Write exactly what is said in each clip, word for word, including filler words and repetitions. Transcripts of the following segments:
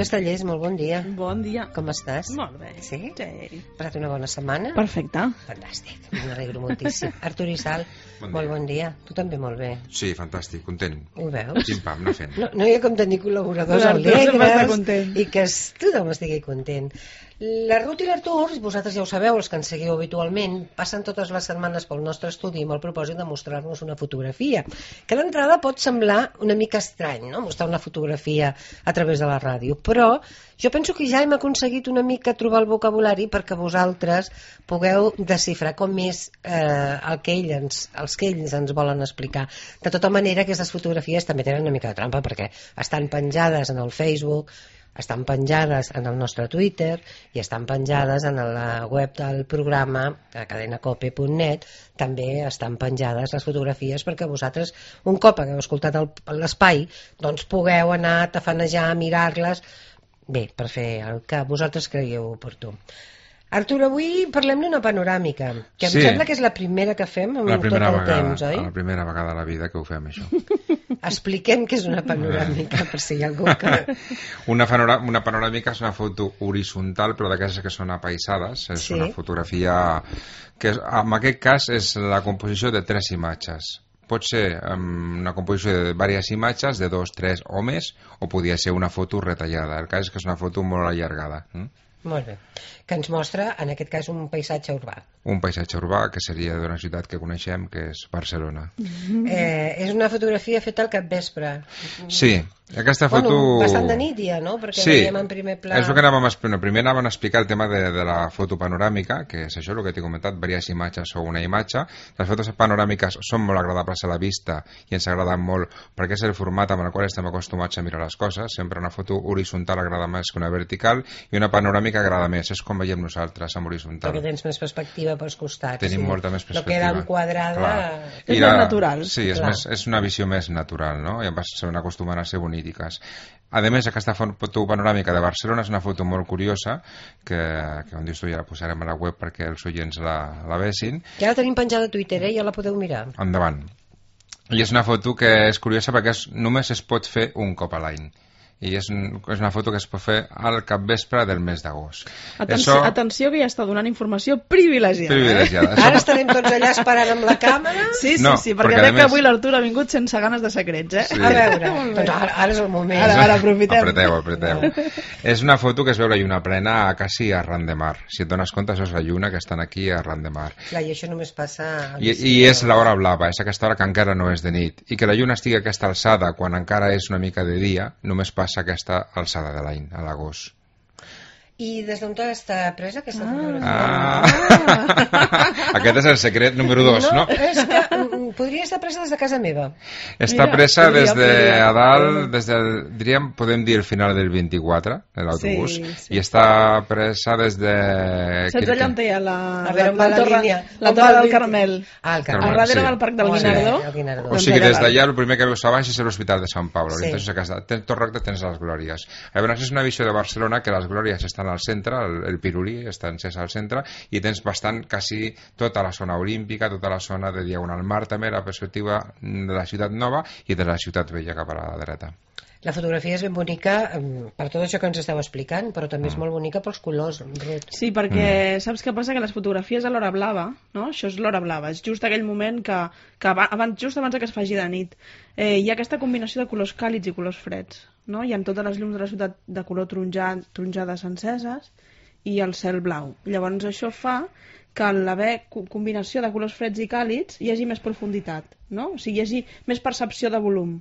Castellers, molt bon dia. Bon dia. Com estàs? Molt bé. Sí? Sí. Passat una bona setmana? Perfecte. Fantàstic, m'alegro moltíssim. Artur i Sal, bon molt bon dia. Tu també molt bé. Sí, fantàstic, content. Ho veus? Pim-pam, anar fent. No, no hi ha com tenir col·laboradors L'Artur sempre està alegres content. i que es- tothom estigui content. La Ruth i l'Artur, vosaltres ja ho sabeu, els que ens seguiu habitualment, passen totes les setmanes pel nostre estudi amb el propòsit de mostrar-nos una fotografia, que d'entrada pot semblar una mica estrany, no?, mostrar una fotografia a través de la ràdio, però jo penso que ja hem aconseguit una mica trobar el vocabulari perquè vosaltres pugueu desxifrar com és eh, el que ells ens, els que ells ens volen explicar. De tota manera, aquestes fotografies també tenen una mica de trampa perquè estan penjades en el Facebook, estan penjades en el nostre Twitter i estan penjades en la web del programa a cadenacope punt net. També estan penjades les fotografies perquè vosaltres, un cop hagueu escoltat el- l'espai, doncs pugueu anar a tafanejar, a mirar-les, bé, per fer el que vosaltres creieu oportú. Artur, avui parlem d'una panoràmica, que em Sí. sembla que és la primera que fem en La tot primera el vegada, temps, oi? la primera vegada a la vida que ho fem, això. Expliquem què és una panoràmica, per si hi ha algú que... Una, panora, una panoràmica és una foto horitzontal, però d'aquestes que són apaïsades. És Sí. una fotografia que, és, en aquest cas, és la composició de tres imatges. Pot ser um, una composició de diverses imatges, de dos, tres o més, o podria ser una foto retallada. El cas és que és una foto molt allargada. Mm? Molt bé. Que ens mostra, en aquest cas, un paisatge urbà. Un paisatge urbà que seria d'una ciutat que coneixem, que és Barcelona. Mm. Eh, és una fotografia feta al capvespre. Sí, aquesta foto... Bueno, bastant de nit ja, no? Perquè sí, veiem en primer pla... és el que anàvem a explicar. Primer anàvem a explicar el tema de, de la foto panoràmica, que és això el que t'he comentat, diverses imatges o una imatge. Les fotos panoràmiques són molt agradables a la vista i ens agraden molt perquè és el format amb el qual estem acostumats a mirar les coses. Sempre una foto horitzontal agrada més que una vertical i una panoràmica agrada més. És com veiem nosaltres, amb horitzontal. Perquè tens més perspectiva pels costats. Tenim sí. molta més No perspectiva. queda enquadrada... Clar. És I més natural. Sí, és, Clar. més, és una visió més natural, no? I se van acostumant a ser bonítiques. A més, aquesta foto panoràmica de Barcelona és una foto molt curiosa, que, que on dius tu ja la posarem a la web perquè els oients la, la vesin. Ja la tenim penjada a Twitter, eh? Ja la podeu mirar. Endavant. I és una foto que és curiosa perquè és, només es pot fer un cop a l'any. I és, un, és una foto que es pot fer al capvespre del mes d'agost. Atenció, Això- atenció que ja està donant informació privilegiada. Privilegiada. Ara estarem tots allà esperant amb la càmera. Sí, sí, No, sí, perquè perquè a veig que més- avui l'Artur ha vingut sense ganes de secrets, eh? Sí. A veure, Molt bé. doncs ara, ara és el moment. Ara, ara, aprofitem. Apreteu, apreteu. És una foto que es veu la lluna plena a quasi arran de mar. Si et dones compte, això és la lluna que estan aquí arran de mar. Clar, i això només passa... a I, l'estiu. I és l'hora blava, és aquesta hora que encara no és de nit. I que la lluna estigui a aquesta alçada quan encara és una mica de dia, només passa aquesta alçada de l'any, a l'agost. I des d'on està presa aquesta fotografia? Ah. Aquest és el secret número dos, no? És que mm, podria estar presa des de casa meva. Està Mira, presa podria, des de podria. a dalt, des del, diríem, podem dir el final del vint-i-quatre, de l'autobús, Sí, sí. i està presa des de... Saps allà on hi ha la, A veure, on va la torre, línia? la On va torre la del línia? Carmel? Ah, el A Carmel. Carmel, darrere sí. del Parc del Molt bé, Guinardó? el Guinardó. O Doncs sigui, allà des dalt. d'allà el primer que veus a baix és l'Hospital de Sant Pablo. Sí. Sí. Aquesta, tens tot recte, tens les Glòries. Llavors és una visió de Barcelona que les Glòries estan al centre, el, el Pirulí està encès al centre, i tens bastant, quasi tota la zona olímpica, tota la zona de Diagonal Mar, també la perspectiva de la ciutat nova i de la ciutat vella cap a la dreta. La fotografia és ben bonica em, per tot això que ens esteu explicant, però també és molt bonica pels colors, Ruth. Sí, perquè saps què passa? Que les fotografies a l'hora blava, no? Això és l'hora blava, és just aquell moment que, que abans, just abans que es faci de nit, eh, hi ha aquesta combinació de colors càlids i colors freds, no? Hi ha totes les llums de la ciutat de color taronjat, taronjades enceses i el cel blau. Llavors això fa que en l'haver co- combinació de colors freds i càlids hi hagi més profunditat, no? O sigui, hi hagi més percepció de volum.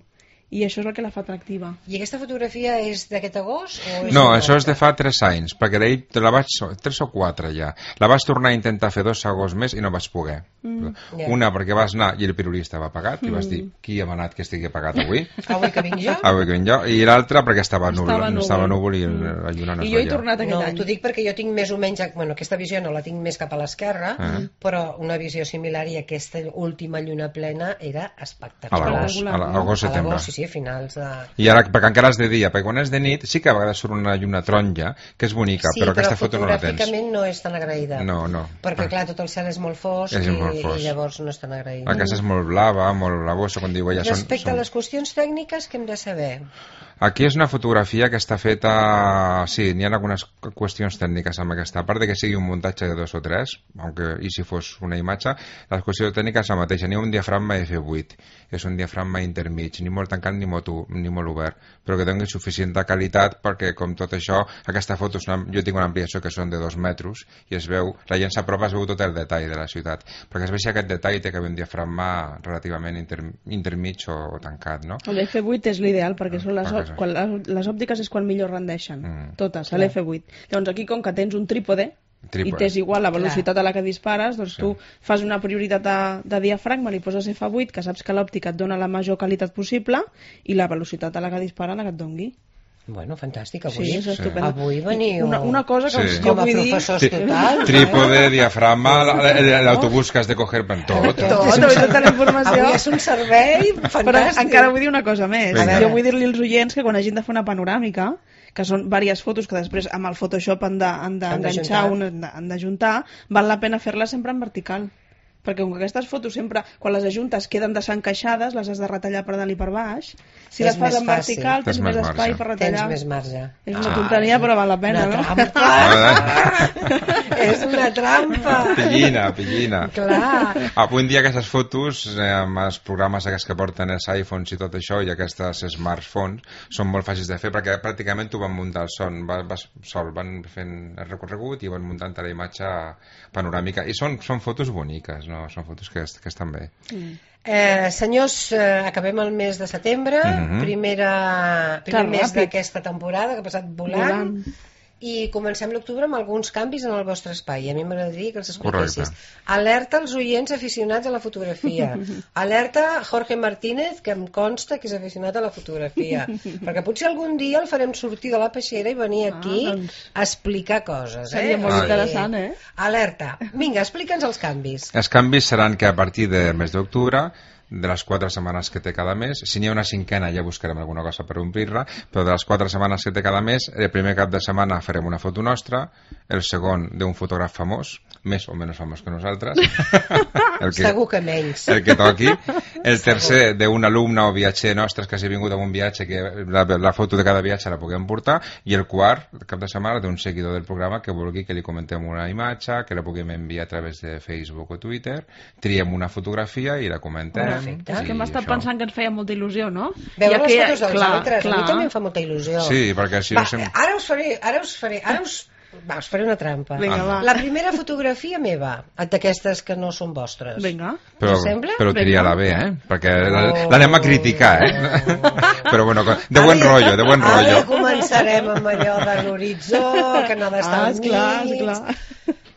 I això és el que la fa atractiva. I aquesta fotografia és d'aquest agost? O és No, una això és de altra? fa tres anys, perquè d'ahir te la vaig... tres o quatre ja. La vaig tornar a intentar fer dos agosts més i no vaig poder. Mm. Ja. Una perquè vas anar i el pirulí estava pagat, i vas dir, qui ha manat que estigui pagat avui? Avui que vinc jo? Avui que vinc jo. I l'altra perquè estava núvol, Estava núvol. estava núvol i la lluna no es I jo he veia. tornat aquest No, any. t'ho dic perquè jo tinc més o menys... Bueno, aquesta visió no la tinc més cap a l'esquerra, Ah. però una visió similar i aquesta última lluna plena era A espectacular. l'agost, a l'agost, A setembre. l'agost, sí, sí, a finals de... I ara, perquè encara és de dia, perquè quan és de nit sí que a vegades surt una lluna taronja, que és bonica, Sí, però aquesta foto no la tens. fotogràficament no és tan agraïda. No, no. Perquè, Ah. clar, tot el cel és molt fosc, És i, molt fosc. i llavors no és tan agraïda. Aquesta és molt blava, molt blavosa, quan diu ella... Respecte són, a les qüestions tècniques, què hem de saber? Aquí és una fotografia que està feta... Sí, n'hi ha algunes qüestions tècniques amb aquesta, a part de que sigui un muntatge de dos o tres, aunque, i si fos una imatge, la qüestió tècnica és la mateixa. N'hi ha un diafragma efe vuit, és un diafragma intermig, ni molt tancat ni molt, ni molt obert, però que doni suficient qualitat perquè, com tot això, aquesta foto, és una, jo tinc una ampliació que són de dos metres i es veu, la gent s'apropa, es veu tot el detall de la ciutat, perquè es veu aquest detall té que haver un diafragma relativament inter, intermig o, o tancat, no? L'efe vuit és l'ideal perquè són les, ah, quan, les òptiques és quan millor rendeixen, mm. totes, a l'efe vuit. Llavors aquí, com que tens un trípode, trípode. i tens igual la velocitat Clar. a la que dispares, doncs sí. tu fas una prioritat de, de diafragma, li poses efe vuit, que saps que l'òptica et dona la major qualitat possible, i la velocitat a la que dispara la que et dongui. Bueno, fantàstic, avui, sí, és sí. avui veniu... Una, una cosa que sí. jo com a vull professors dir... total. Trípode, eh? diafragma, l'autobús que has de coger per tot. Tot, tot, tota la informació. Avui és un servei fantàstic. Però encara vull dir una cosa més. Vinga. Jo vull dir-li als oients que quan hagin de fer una panoràmica, que són diverses fotos que després amb el Photoshop han d'enganxar, de, han d'ajuntar, val la pena fer-les sempre en vertical. Perquè com que aquestes fotos sempre, quan les ajuntes, queden desencaixades, les has de retallar per dalt i per baix. Si les fas en vertical, tens més espai per retallar. Tens més marge. És una tonteria, però val la pena, no? Una trampa! És una trampa! Pillina, pillina. Clar. Avui en dia aquestes fotos, eh, amb els programes aquests que porten els iPhones i tot això, i aquestes smartphones, són molt fàcils de fer, perquè pràcticament tu van muntar el son, vas, vas sol, van fent el recorregut i van muntant la imatge panoràmica. I són, són fotos boniques, no, són fotos que, que estan bé. Mm. Eh, senyors, eh, acabem el mes de setembre, mm-hmm. primera, primer Clar, mes d'aquesta temporada que ha passat volant, volant. I comencem l'octubre amb alguns canvis en el vostre espai. A mi m'agradaria que els expliquessis. Correcte. Alerta als oients aficionats a la fotografia. Alerta Jorge Martínez, que em consta que és aficionat a la fotografia. Perquè potser algun dia el farem sortir de la peixera i venir aquí ah, doncs... a explicar coses. Seria eh? molt ah, interessant, eh? Alerta. Vinga, explica'ns els canvis. Els canvis seran que a partir del mes d'octubre, de les quatre setmanes que té cada mes, si n'hi ha una cinquena ja buscarem alguna cosa per omplir-la, però de les quatre setmanes que té cada mes, el primer cap de setmana farem una foto nostra, el segon d'un fotògraf famós, més o menys famós que nosaltres, el que, segur que menys, el que toqui, el tercer d'un alumne o viatger nostre que hagi vingut a un viatge, que la, la foto de cada viatge la puguem portar, i el quart cap de setmana d'un seguidor del programa que vulgui que li comentem una imatge, que la puguem enviar a través de Facebook o Twitter, triem una fotografia i la comentem. Perfecte. És que hem estat pensant que ens feia molta il·lusió, no? Veure les fotos dels altres, a mi també em fa molta il·lusió. Sí, perquè si va, no sem... ara us faré, ara us faré, ara us... Va, us faré una trampa. Vinga, va. La primera fotografia meva, d'aquestes que no són vostres. Vinga. Però, però tria-la bé, eh? Perquè oh. l'anem a criticar, eh? Però bueno, de buen rotllo, de buen rotllo. Ara començarem amb allò de l'horitzó, que no ha d'estar ah, esclar, esclar.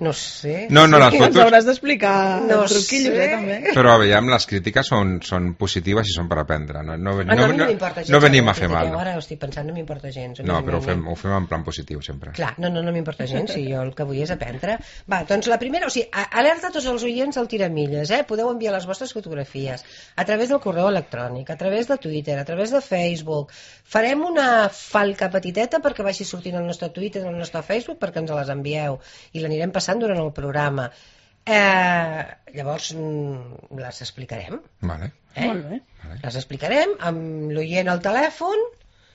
No sé. No, no, les fotos... Ens hauràs d'explicar no truquillos, sé. eh, també. Però veiem, les crítiques són, són positives i són per aprendre. No, no, ah, no, no, a mi no m'importa gens. No venim a fer mal. Ara ho estic pensant, no m'importa gens. No, però ho fem, ho fem en plan positiu, sempre. Clar, no, no, no m'importa gens, si jo el que vull és aprendre. Va, doncs la primera, o sigui, alerta a tots els oients del Tiramilles, eh? Podeu enviar les vostres fotografies a través del correu electrònic, a través de Twitter, a través de Facebook. Farem una falca petiteta perquè vagi sortint al nostre Twitter, al nostre Facebook, perquè ens les envieu i l'anirem passant durant el programa. Eh, llavors les explicarem. Vale. Eh? Molt bé. Les explicarem amb l'oient al telèfon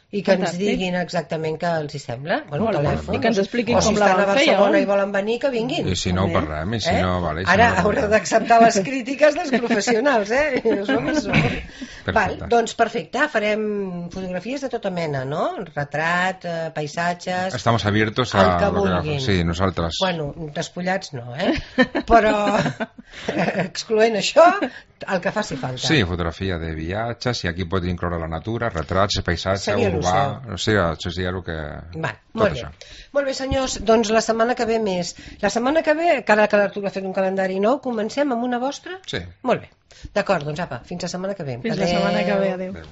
i que ens diguin exactament què els hi sembla. Bueno, el telèfon. I que ens expliquin o si com la estan a van fer. Barcelona i volen venir, que vinguin. I si no ho parlem, i si eh? no... Vale, si Ara no, haureu d'acceptar les crítiques dels professionals, eh? Som i som. Val, doncs perfecte, farem fotografies de tota mena, no? Retrat, eh, paisatges... Estamos abiertos a... El que vulguin. Sí, nosaltres. Bueno, despullats no, eh? Però, excloent això, el que faci falta. Sí, fotografia de viatges, i aquí pot incloure la natura, retrats, paisatge, urbà... O sigui, això seria el que... Va, molt bé. Molt bé, senyors, doncs la setmana que ve més. La setmana que ve, cada que l'Artur ha fet un calendari nou, comencem amb una vostra? Sí. Molt bé. D'acord, doncs apa, fins la setmana que ve. Fins adeu. La setmana que ve, adeu. adeu.